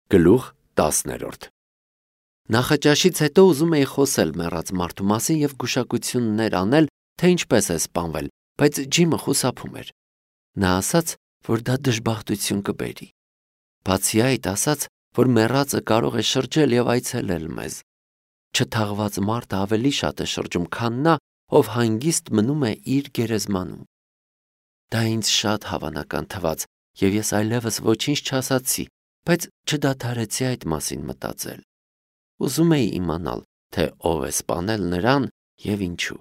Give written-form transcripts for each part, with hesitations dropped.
Գլուխ 10 Նախաճաշից հետո ուզում էի խոսել մեռած մարդու մասին և գուշակություններ անել, թե ինչպես է սպանվել, բայց Ջիմը խուսափում էր։ Նա ասաց, որ դա դժբախտություն կբերի։ Բացի այդ, ասաց, որ մեռածը կարող է շրջել և այցելել մեզ։ Չթաղված մարդը ավելի շատ է շրջում, քան նա, ով հանգիստ մնում է իր գերեզմանում։ Դա ինձ շատ հավանական թվաց, և ես այլևս ոչինչ չասացի, բայց չդադարեցի այդ մասին մտածել։ Ուզում էի իմանալ, թե ով է սպանել նրան և ինչու։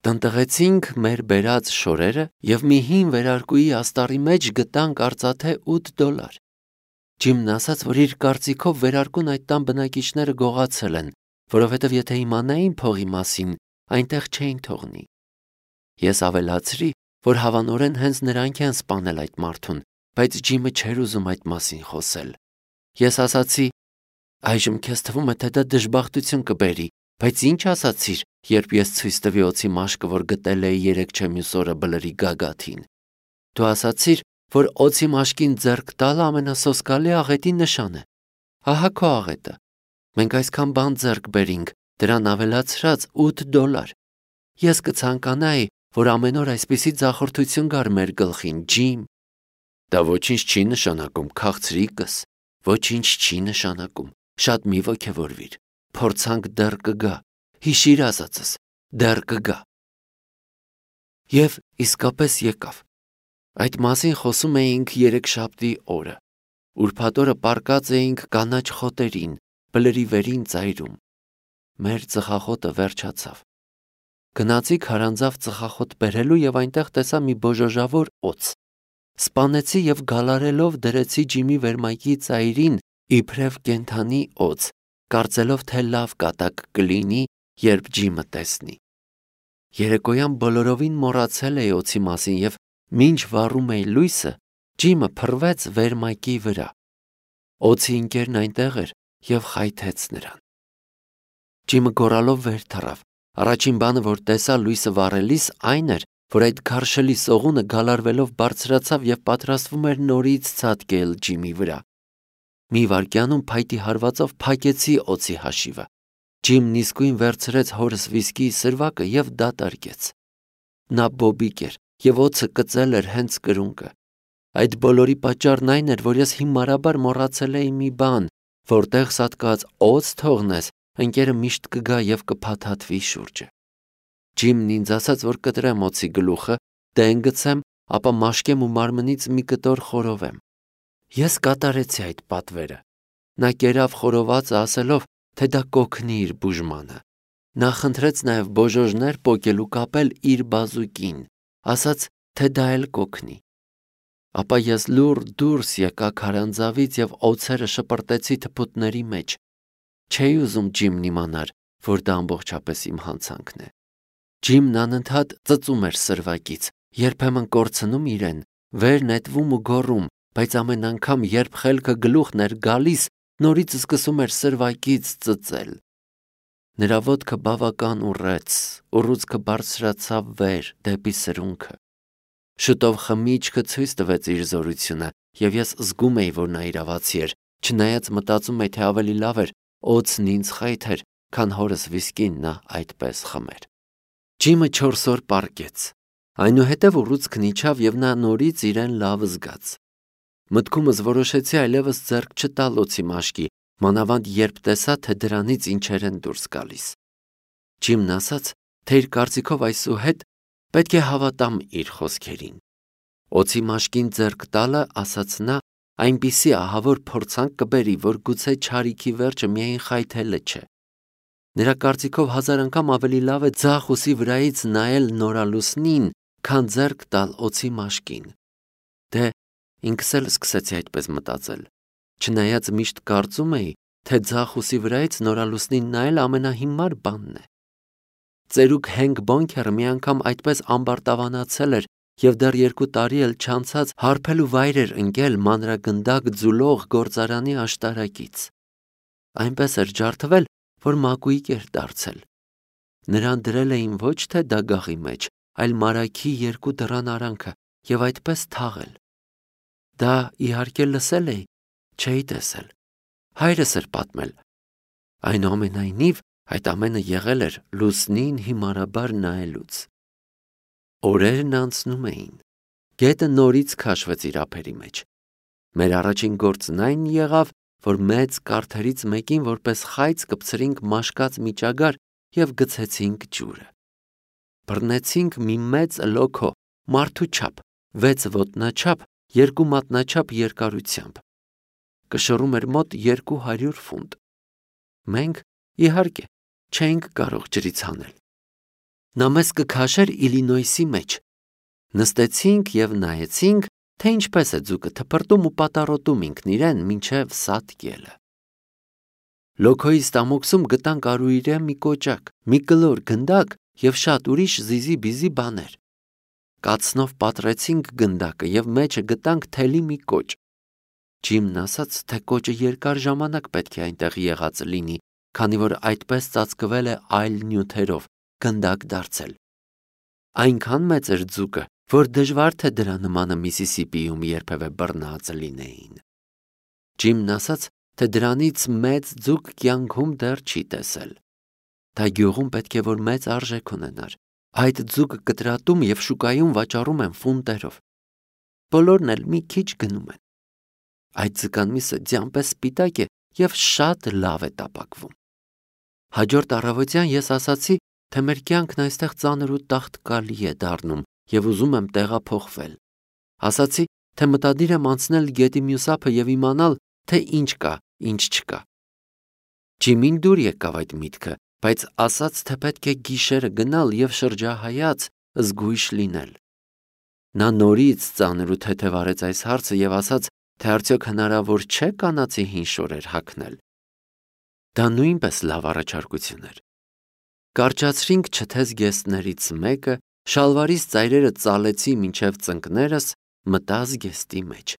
Տնտղեցինք մեր բերած շորերը և մի հին վերարկուի աստառի մեջ գտանք արծաթե $8։ Ջիմն ասաց, որ իր կարծիքով վերարկուն այդ տան բնակիչները գողացել են, որովհետև եթե իմանային փողի մասին, այնտեղ չէին թողնի։ Ես ավելացրի, որ հավանորեն հենց նրանք են սպանել այդ մարդուն, բայց Ջիմը չէր ուզում այդ մասին խոսել։ Ես ասացի. «Այժմ քեզ թվում է, թե դա դժբախտություն կբերի, բայց ինչ ասացիր, երբ ես ցույց տվի օձի մաշկը, որ գտել էի երեքչեմյուս օրը բլրի գագաթին։ Դու ասացիր, որ օձի մաշկին ձեռք տալը ամենասոսկալի աղետի նշան է։ Ահա քո աղետը։ Մենք այսքան բան ձեռք բերինք, դրան ավելացրած $8։ Ես կցանկանայի, որ ամեն օր այսպիսի ձախորդություն գար մեր գլխին, Ջիմ։ Դա ոչինչ չի նշանակում, քաղցրիկս, ոչինչ չի նշանակում, շատ մի ոգևորվիր, փորձանք դեռ կգա, հիշիր ասածս, դեռ կգա։ Եվ իսկապես եկավ։ Այդ մասին խոսում էինք երեքշաբթի օրը։ Ուրբաթ օրը պառկած էինք կանաչ խոտերին, բլրի վերին ծայրում։ Մեր ծխախոտը վերջացավ։ Գնացի քարանձավ ծխախոտ բերելու և այնտեղ տեսա մի բոժոժավոր օձ։ Սպանեցի և գալարելով դրեցի Ջիմի վերմայքի ծայրին իբրև կենդանի օձ, կարծելով, թե լավ կատակ կլինի, երբ Ջիմը տեսնի։ Երեկոյան բոլորովին մոռացել էի օձի մասին և մինչ վառում էի լույսը, Ջիմը փռվեց վերմայքի վրա։ Օձի ընկերն այնտեղ էր և խայթեց նրան։ Ջիմը գոռալով վեր թռավ։ Առաջին բանը, որ տեսա լույսը վառելիս, այն էր, որ այդ քարշելի սողունը գալարվելով բարձրացավ և պատրաստվում էր նորից ցատկել Ջիմի վրա։ Մի վայրկյանում փայտի հարվածով փակեցի օձի հաշիվը։ Ջիմն իսկույն վերցրեց հորս վիսկիի սրվակը և դատարկեց։ Նա բոբիկ էր և օձը կծել էր հենց կրունկը։ Այդ բոլորի պատճառն այն էր, որ ես հիմարաբար մոռացել էի մի բան, որտեղ սատկած օձ թողնես, ընկերը միշտ կգա և կփաթաթվի շուրջը։ Ջիմն ինձ ասաց, որ կտրեմ օձի գլուխը, դեն գցեմ, ապա մաշկեմ ու մարմնից մի կտոր խորովեմ։ Ես կատարեցի այդ պատվերը։ Նա կերավ խորովածը ասելով, թե դա կօգնի իր բուժմանը։ Նա խնդրեց նաև բոժոժներ պոկել ու կապել իր բազուկին, ասաց, թե դա էլ կօգնի։ Ապա ես լուռ դուրս եկա քարանձավից և օձերը շպրտեցի թփուտների մեջ։ Չէի ուզում Ջիմն իմանար, որ դա ամբողջապես իմ հանցանքն է։ Ջիմն անընդհատ ծծում էր սրվակից, երբեմն կորցնում իրեն, վեր նետվում ու գոռում, բայց ամեն անգամ, երբ խելքը գլուխն էր գալիս, նորից սկսում էր սրվակից ծծել։ Նրա ոտքը բավական ուռեց, ուռուցքը բարձրացավ վեր, դեպի սրունքը։ Շուտով խմիչքը ցույց տվեց իր զորությունը, և ես զգում էի, որ նա իրավացի էր, չնայած մտածում էի, թե ավելի լավ էր օձն ինձ խայթեր, քան հորս վիսկին նա այդպես խմեր։ Ջիմը 4 օր պառկեց։ Այնուհետև ուռուցքն իջավ և նա նորից իրեն լավ զգաց։ Մտքումս որոշեցի այլևս ձեռք չտալ օձի մաշկի, մանավանդ երբ տեսա, թե դրանից ինչեր են դուրս գալիս։ Ջիմն ասաց, թե իր կարծիքով այսուհետ պետք է հավատամ իր խոսքերին։ Օձի մաշկին ձեռք տալը, ասաց նա, այնպիսի ահավոր փորձանք կբերի, որ գուցե չարիքի վերջը միայն խայթելը չէ։ Նրա կարծիքով 1000 անգամ ավելի լավ է ձախ ուսի վրայից նայել նորալուսնին, քան ձեռք տալ օձի մաշկին։ Դե ինքս էլ սկսեցի այդպես մտածել, չնայած միշտ կարծում էի, թե ձախ ուսի վրայից նորալուսնին նայել ամենահիմար բանն է։ Ծերուկ Հենք Բոնքերը մի անգամ այդպես ամբարտավանացել էր և դեռ 2 տարի էլ չանցած հարբել ու վայր էր ընկել մանրագնդակ ձուլող գործարանի աշտարակից։ Այնպես էր ջարդվել, որ մակույկ էր դարձել։ Նրան դրել էին ոչ թե դագաղի մեջ, այլ մարագի 2 դռան արանքը և այդպես թաղել։ Դա իհարկե լսել էի, չէի տեսել։ Հայրս էր պատմել։ Այնուամենայնիվ, այդ ամենը եղել էր լուսնին հիմարաբար նայելուց։ Օրերն անցնում էին։ Գետը նորից քաշվեց իր ափերի մեջ։ Մեր առաջին գործն այն եղավ, որ մեծ կարթերից մեկին որպես խայծ կպցրինք մաշկած միջագար և գցեցինք ջուրը։ Բռնեցինք մի մեծ լոքո, մարդու չափ, 6 ոտնաչափ, 2 մատնաչափ երկարությամբ։ Կշռում էր մոտ 200 ֆունտ։ Մենք, իհարկե, չէինք կարող ջրից հանել։ Նա մեզ կքաշեր Իլինոյսի մեջ։ Նստեցինք և նայեցինք, թե ինչպես է ձուկը թփրտում ու պատառոտում ինքն իրեն մինչև Սատկելը։ Լոքոյի ստամոքսում գտանք արուիրե մի կոճակ, մի կլոր գնդակ և շատ ուրիշ զիզի-բիզի բաներ։ Կացնով պատռեցինք գնդակը և մեջը գտանք թելի մի կոճ։ Ջիմն ասաց, թե կոճը երկար ժամանակ պետք է այնտեղ եղած լինի, քանի որ այդպես ծածկվել է այլ նյութերով, գնդակ դարձել։ Այնքան մեծ էր ձուկը, որ դժվար թե դրա նմանը Միսիսիպիում երբևէ բռնած լինեին։ Ջիմն ասաց, թե դրանից մեծ ձուկ կյանքում դեռ չի տեսել։ Դա գյուղում պետք է որ մեծ արժեք ունենար։ Այդ ձուկը կտրատում և շուկայում վաճառում են ֆունտերով։ Բոլորն էլ մի քիչ գնում են։ Այդ ձկան միսը ձյամպես սպիտակ է և շատ լավ է տապակվում։ Հաջորդ առավոտյան ես ասացի, թե մեր կյանքն այստեղ ծանր ու տաղտկալի է դառնում և ուզում եմ տեղափոխվել։ Ասացի, թե մտադիր եմ անցնել գետի մյուս ափը և իմանալ, թե ինչ կա, ինչ չկա։ Ջիմին դուր եկավ այդ միտքը, բայց ասաց, թե պետք է գիշերը գնալ և շրջահայաց, զգույշ լինել։ Նա նորից ծանր ու թեթև արեց այս հարցը և ասաց, թե արդյոք հնարավոր չէ կանացի հին շորեր հագնել։ Դա նույնպես լավ առաջարկություն էր։ Կարճացրինք չթեզ գեստներից մեկը, շալվարիս ծայրերը ծալեցի մինչև ծնկներս, մտա զգեստի մեջ։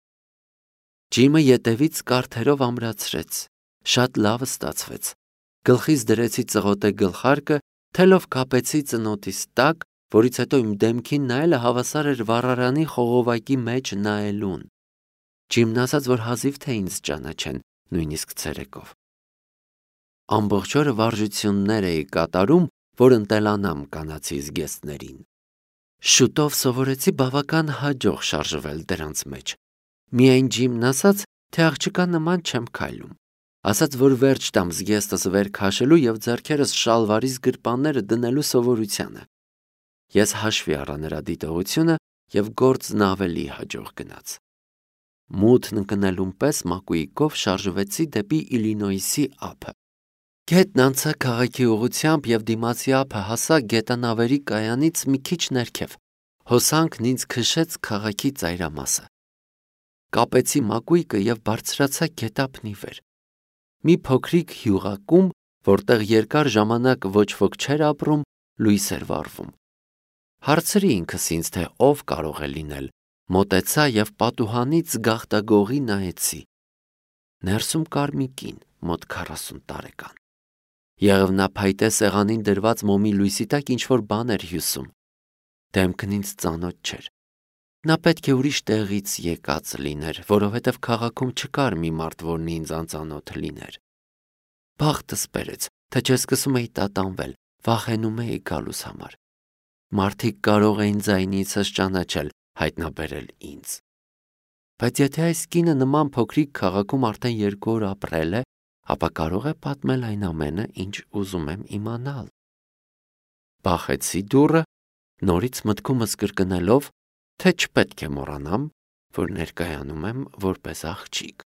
Ջիմը ետևից կարթերով ամրացրեց, շատ լավ ստացվեց։ Գլխիս դրեցի ծղոտե գլխարկը, թելով կապեցի ծնոտիս տակ, որից հետո իմ դեմքին նայելը հավասար էր վառարանի խողովակի մեջ նայելուն։ Ջիմն ասաց, որ հազիվ թե ինձ ճանաչեն, նույնիսկ ցերեկով։ Ամբողջ օրը վարժություններ էի կատարում, որ ընտելանամ կանացի զգեստներին։ Շուտով սովորեցի բավական հաջող շարժվել դրանց մեջ։ Միայն Ջիմն ասաց, թե աղջկա նման չեմ քայլում։ Ասաց, որ վերջ տամ զգեստս վեր քաշելու և ձեռքերս շալվարիս գրպանները դնելու սովորությանը։ Ես հաշվի առա նրա դիտողությունը և գործն ավելի հաջող գնաց։ Մութն ընկնելուն պես մակույկով շարժվեցի դեպի Իլինոյսի ափը։ Գետն անցա քաղաքի ուղղությամբ և դիմացի ափը հասա գետանավերի կայանից մի քիչ ներքև։ Հոսանքն ինձ քշեց քաղաքի ծայրամասը։ Կապեցի մակույկը և բարձրացա գետափնի վեր։ Մի փոքրիկ հյուղակում, որտեղ երկար ժամանակ ոչ ոք չէր ապրում, լույս էր վառվում։ Հարցրի ինքս ինձ, թե ով կարող է լինել, մոտեցա և պատուհանից գաղտագողի նայեցի։ Ներսում կար մի կին, մոտ 40 տարեկան։ Եղևնափայտե սեղանին դրված մոմի լույսի տակ ինչ-որ բան էր հյուսում։ Դեմքն ինձ ծանոթ չէր։ Նա պետք է ուրիշ տեղից եկած լիներ, որովհետև քաղաքում չկար մի մարդ, որն ինձ անծանոթ լիներ։ Բախտս բերեց, թե չեսկսում էի տատանվել, վախենում էի գալուս համար։ Մարդիկ կարող էին ձայնիցս ճանաչել, հայտնաբերել ինձ։ Բայց եթե այս կինը նման փոքրիկ քաղաքում արդեն 2 օր ապրել է, ապա կարող է պատմել այն ամենը, ինչ ուզում եմ իմանալ։ Բախեցի դուռը, նորից մտքումս կրկնելով, թե չպետք է մոռանամ, որ ներկայանում եմ որպես աղջիկ։